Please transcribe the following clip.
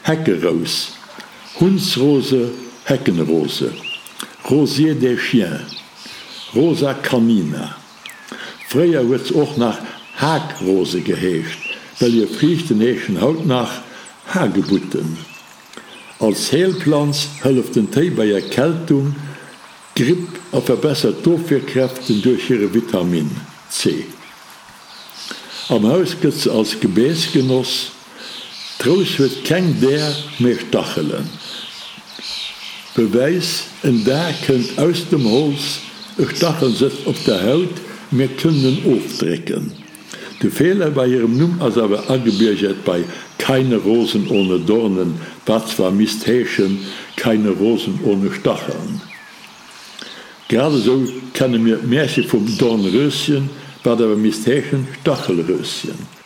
Heckerous, Hundsrose, Heckenrose, Rosier des chiens, Rosa canina. Fréier huet se och nach Hakrose geheescht, well hir Friichten heeschen haut nach Hagebutten. Als Heelplanz hëlleft den Téi bei Erkältung, Gripp a verbessert d'Ofwierkräften duerch hire Vitamin C. Am Haus gëtt se als Gebeess genoss. D'Rous huet keng Där, mee Stachelen. Bewäis, En Dar kënnt aus dem Holz, e Stachel sëtzt op der Haut, mir kënnen en ofdrécken. De Feeler bei hirem Numm ass awer agebiergert bei Keine Rosen ohne Dornen, wat zwar misst heeschen Keine Rosen ohne Stacheln. Grad esou kenne mir d'Märche vum Dornröschen, wat awer misst heeschen Stachelröschen.